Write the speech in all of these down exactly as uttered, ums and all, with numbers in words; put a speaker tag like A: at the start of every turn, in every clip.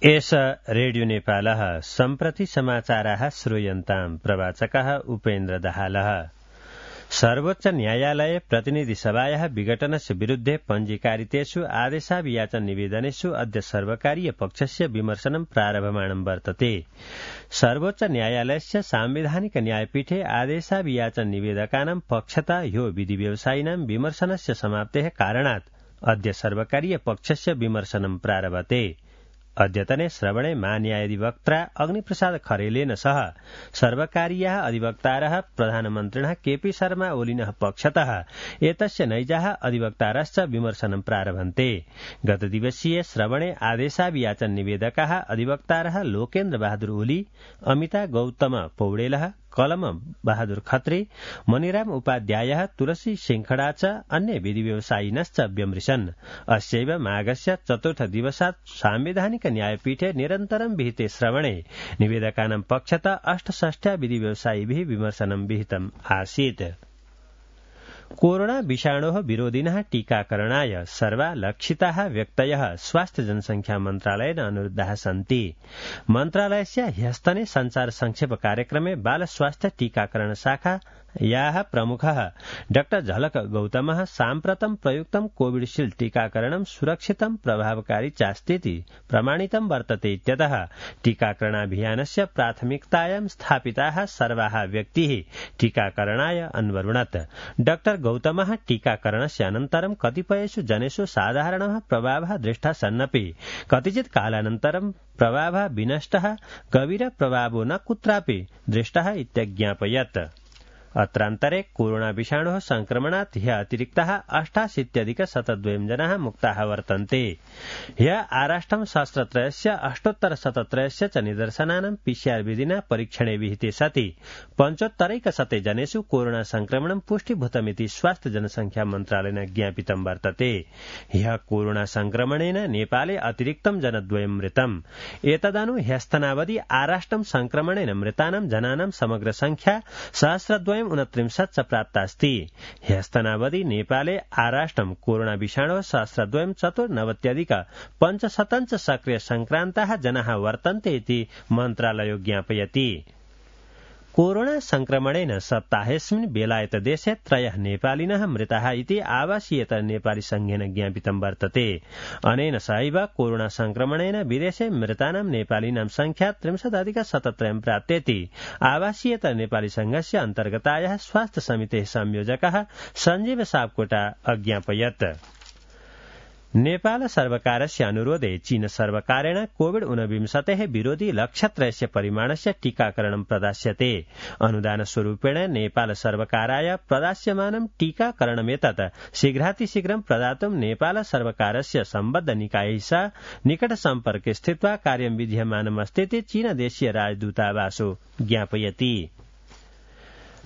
A: एष रेडियो नेपालः सम्प्रति समाचाराः श्रूयन्ताम् प्रवाचकः उपेन्द्र दाहालः। सर्वोच्च न्यायालय प्रतिनिधि सभायाः विघटनस्य विरुद्धे पञ्जीकारितेषु आदेशाभियाचन निवेदनेषु अद्य सर्वकारीय पक्षस्य विमर्शनं प्रारभमाणं वर्तते। सर्वोच्च न्यायालयस्य साम्विधानिक न्यायपीठे आदेशाभियाचन निवेदकानां पक्षतः ह्यो विधि व्यवसायिनां विमर्शनस्य समाप्तेः कारणात् अद्य सर्वकारीय पक्षस्य विमर्शनं प्रारभते। अद्यतने श्रवणे महान्यायाधिवक्ता अग्निप्रसाद खरेलेन सह सर्वकारीयाः अधिवक्तारः प्रधानमन्त्रिणः केपी शर्मा ओलिनः पक्षतः एतस्य नैजाः अधिवक्तारश्च विमर्शनं प्रारभन्ते। गतदिवसीय श्रवणे आदेशाभियाचन निवेदकाः अधिवक्तारः लोकेन्द्र बहादुर ओली, अमिता गौतम पौडेलः, कलम बहादुर खत्री, मणिराम उपाध्यायः, तुलसी सिंखडा च अन्य विधि व्यवसायिनश्च व्यमृशन्। अस्यैव माघस्य चतुर्थ दिवसात् सांविधानिक न्यायपीठे निरन्तरं विहिते श्रवणे निवेदकानां पक्षतः अष्टषष्ट्या विधि व्यवसायिभिः विमर्शनं विहितम् आसीत्। कोरोना विषाणोः विरोधिनः टीकाकरणाय सर्वा लक्षिताः व्यक्तयः स्वास्थ्य जनसंख्या मन्त्रालयेन अनुरुद्धाः सन्ति। मन्त्रालयस्य ह्यस्तने संचार संक्षेप कार्यक्रमे बाल स्वास्थ्य टीकाकरण शाखा याः प्रमुखः डाक्टर झलक गौतमः साम्प्रतं प्रयुक्तं कोविडशील्ड टीकाकरणं सुरक्षितं प्रभावकारी चास्तीति प्रमाणितं वर्तते इत्यतः टीकाकरणाभियानस्य प्राथमिकतायां स्थापिताः सर्वाः व्यक्तिः टीकाकरणाय अन्वरुणत्। डाक्टर गौतमः टीकाकरणस्य अनन्तरं कतिपयेषु जनेषु साधारणः प्रभावः दृष्टः सन्नपि कतिचित् कालानन्तरं प्रभावः विनष्टः, गभीर प्रभावो न कुत्रापि दृष्टः इत्यज्ञापयत्। अत्रान्तरे कोरोना विषाणोः संक्रमणात् ह्य अतिरिक्ताः अष्टाशीत्यधिक शतद्वयं जनाः मुक्ताः वर्तन्ते। ह्य आराष्ट्रं सहस्रत्रयस्य अष्टोत्तर शतत्रयस्य च निदर्शनानां पीसीआर विधिना परीक्षणे विहिते सति पञ्चोत्तरैकशते जनेषु कोरोना संक्रमणं पुष्टीभूतमिति स्वास्थ्य जनसंख्या मन्त्रालयेन ज्ञापितं वर्तते। ह्य कोरोना संक्रमणेन नेपाले अतिरिक्तं जनद्वयं मृतम्। एतदनु ह्यस्तनावधि आराष्ट्रं संक्रमणेन मृतानां जनानां समग्र संख्या सहस्रद्वयं उनत्रिंशत् च प्राप्तास्ति। ह्यस्तनावधि नेपाले आराष्ट्रं कोरोना विषाणोः सहस्रद्वयं चतुर्नवत्यधिक पञ्चशतञ्च सक्रिय संक्रान्ताः जनाः वर्तन्ते इति मन्त्रालयो ज्ञापयति। कोरोना संक्रमणेन सप्ताहेऽस्मिन् बेलायतदेशे त्रयः नेपालिनः मृताः इति आवासीयतर नेपाली संघेन ज्ञापितं वर्तते। अनेन सहैव कोरोना संक्रमणेन विदेशे मृतानां नेपालिनां संख्या त्रिंशदधिक शतत्रयं प्राप्तेति आवासीयतर नेपाली संघस्य अन्तर्गतायाः स्वास्थ्य समितेः संयोजकः सञ्जीव सापकोटा अज्ञापयत्। नेपाल सर्वकारस्य अनुरोधे चीन सर्वकारेण कोविड ऊनविंशतेः विरोधि लक्षत्रयस्य परिमाणस्य टीकाकरणं प्रदास्यते। अनुदानस्वरूपेण नेपाल सर्वकाराय प्रदास्यमानं टीकाकरणमेतत् शीघ्रातिशीघ्रं प्रदातुं नेपाल सर्वकारस्य सम्बद्ध निकायैः सह निकट सम्पर्के स्थित्वा कार्यं विधीयमानमस्तीति चीनदेशीय राजदूतावासो ज्ञापयति।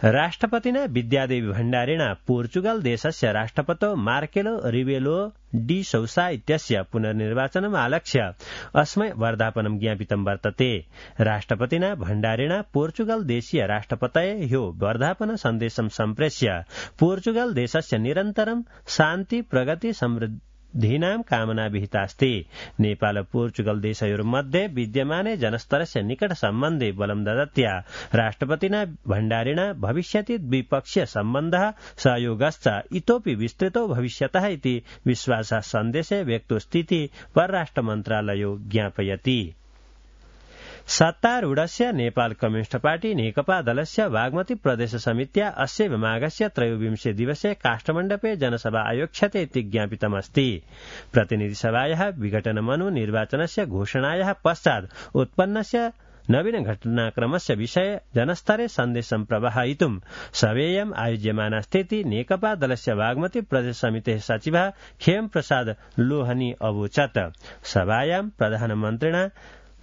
A: राष्ट्रपतिना विद्यादेवी भण्डारिणा पोर्चुगल देशस्य राष्ट्रपतौ मार्केलो रिबेलो डी सौसा इत्यस्य पुनर्निर्वाचनम् आलक्ष्य अस्मै वर्धापनं ज्ञापितं वर्तते। राष्ट्रपतिना भण्डारिणा पोर्चुगल देशीय राष्ट्रपतये ह्यो वर्धापन सन्देशं सम्प्रेष्य पोर्चुगल देशस्य निरन्तरं शान्ति, प्रगति, समृद्धि धीनां कामना विहितास्ति। नेपाल पोर्चुगल देशयोर्मध्ये विद्यमाने जनस्तरस्य निकट सम्बन्धे बलं ददत्या राष्ट्रपतिना भण्डारिणा भविष्यति द्विपक्षीय सम्बन्धः सहयोगश्च इतोपि विस्तृतो भविष्यतः इति विश्वासः सन्देशे व्यक्तोस्तीति परराष्ट्र मन्त्रालयो ज्ञापयति। सत्तारूढस्य नेपाल कम्युनिस्ट पार्टी नेकपा दलस्य बागमती प्रदेश समित्या अस्यैव माघस्य त्रयोविंशे दिवसे काष्ठमण्डपे जनसभा आयोक्ष्यते इति ज्ञापितमस्ति। प्रतिनिधिसभायाः विघटनमनु निर्वाचनस्य घोषणायाः पश्चात् उत्पन्नस्य नवीन घटनाक्रमस्य विषये जनस्तरे सन्देशं प्रवाहयितुं सभेयम् आयोज्यमानास्तीति नेकपा दलस्य बागमती प्रदेश समितेः सचिवः खेम प्रसाद लोहनी अवोचत्। सभायां प्रधानमन्त्रिणा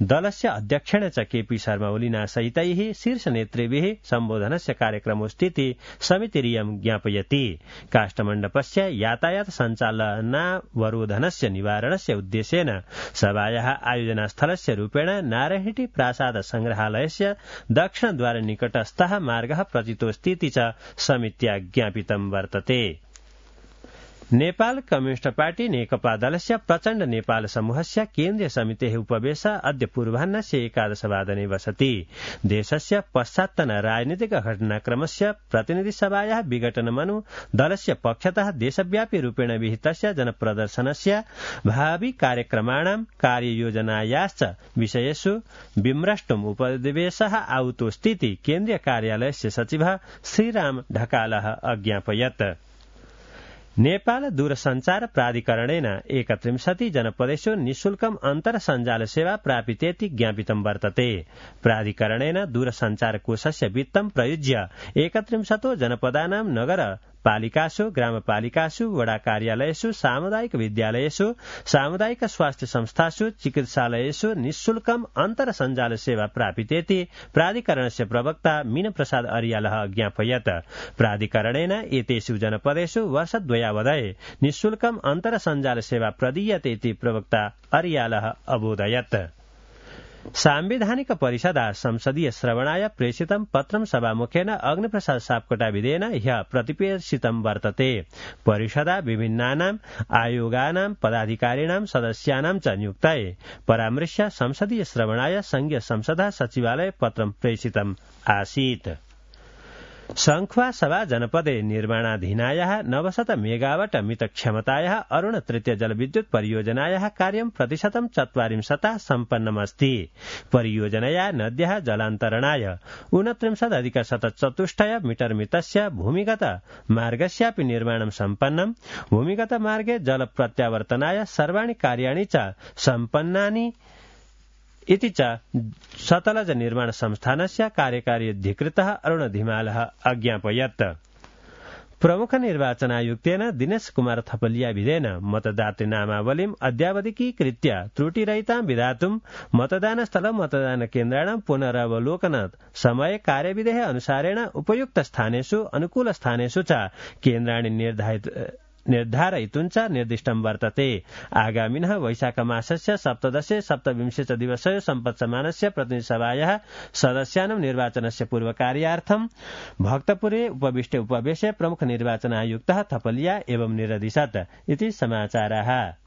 A: दलस्य अध्यक्षेण च केपी शर्मा ओलिना सहितैः शीर्षनेतृभिः सम्बोधनस्य कार्यक्रमोऽस्तीति समितिरियं ज्ञापयति। काष्ठमण्डपस्य यातायात सञ्चालनावरोधनस्य निवारणस्य उद्देश्येन सभायाः आयोजनास्थलस्य रूपेण नारायणहिटी प्रासाद संग्रहालयस्य दक्षिणद्वार निकटस्थः मार्गः प्रचितोऽस्तीति च समित्या ज्ञापितं वर्तते। नेपाल कम्युनिस्ट पार्टी नेकपा दलस्य प्रचण्ड नेपाल समूहस्य केन्द्रीय समितेः उपवेश अद्य पूर्वाह्नस्य एकादशवादने वसति। देशस्य पश्चात्तन राजनीतिक घटनाक्रमस्य प्रतिनिधिसभायाः विघटनमनु दलस्य पक्षतः देशव्यापी रूपेण विहितस्य जनप्रदर्शनस्य भावि कार्यक्रमाणां कार्ययोजनायाश्च विषयेषु विम्रष्टुम् उपवेशः आहुतोऽस्तीति केन्द्रीय कार्यालयस्य सचिवः श्रीराम ढकालः अज्ञापयत्। नेपाल दूरसञ्चार प्राधिकरणेन एकत्रिंशति जनपदेषु निःशुल्कम् अन्तर्सञ्जाल सेवा प्रापितेति ज्ञापितं वर्तते। प्राधिकरणेन दूरसञ्चार कोषस्य वित्तं प्रयुज्य एकत्रिंशतो जनपदानां नगर पालिकासु ग्रामपालिकासु वडा कार्यालयेषु सामुदायिक विद्यालयेषु सामुदायिक स्वास्थ्य संस्थासु चिकित्सालयेषु निःशुल्कम् अन्तर्सञ्जाल सेवा प्रापितेति प्राधिकरणस्य प्रवक्ता मीन प्रसाद अरियालः ज्ञापयत्। प्राधिकरणेन एतेषु जनपदेषु वर्षद्वयावधये निःशुल्कम् अन्तर्सञ्जाल सेवा प्रदीयते इति प्रवक्ता अरियालः अबोधयत्। सांविधानिक परिषदा संसदीय श्रवणाय प्रेषितं पत्रं सभामुखेन अग्निप्रसाद सापकोटाविदेन ह्यः प्रतिप्रेषितं वर्तते। परिषदा विभिन्नानाम् आयोगानां पदाधिकारिणां सदस्यानां च नियुक्तये परामृश्य संसदीय श्रवणाय संघीय संसदः सचिवालय पत्रं प्रेषितम् आसीत्। संख्वा सभा जनपदे निर्माणाधीनायाः नवशत मेगावाट मित क्षमतायाः अरुण तृतीय जलविद्युत परियोजनायाः कार्यं प्रतिशतं चत्वारिंशता सम्पन्नमस्ति। परियोजनया नद्याः जलान्तरणाय ऊनत्रिंशदधिक शतचतुष्टय मीटर मितस्य भूमिगत मार्गस्यापि निर्माणं सम्पन्नम्। भूमिगत मार्गे जल प्रत्यावर्तनाय सर्वाणि कार्याणि च सम्पन्नानि इति च सतलज निर्माण संस्थानस्य कार्यकारी अधिकृतः अरुण धिमालः अज्ञापयत्। प्रमुख निर्वाचनायुक्तेन दिनेश कुमार थपलियाविदेन मतदातृ नामावलीम् अद्यावधिकीकृत्य त्रुटिरहितां विधातुं मतदानस्थल मतदान केन्द्राणां पुनरावलोकनात् समय कार्यविधेः अनुसारेण उपयुक्त स्थानेषु अनुकूल स्थानेषु च केन्द्राणि निर्धारित निर्धारयितुं च निर्दिष्टं वर्तते। आगामिनः वैशाखमासस्य सप्तदशे सप्तविंशे च दिवसे सम्पत्समानस्य प्रतिनिधिसभायाः सदस्यानां निर्वाचनस्य पूर्वकार्यार्थं भक्तपुरे उपविष्टे उपवेशे प्रमुख निर्वाचनायुक्तः थपलिया एवं निरदिशत् इति समाचाराः।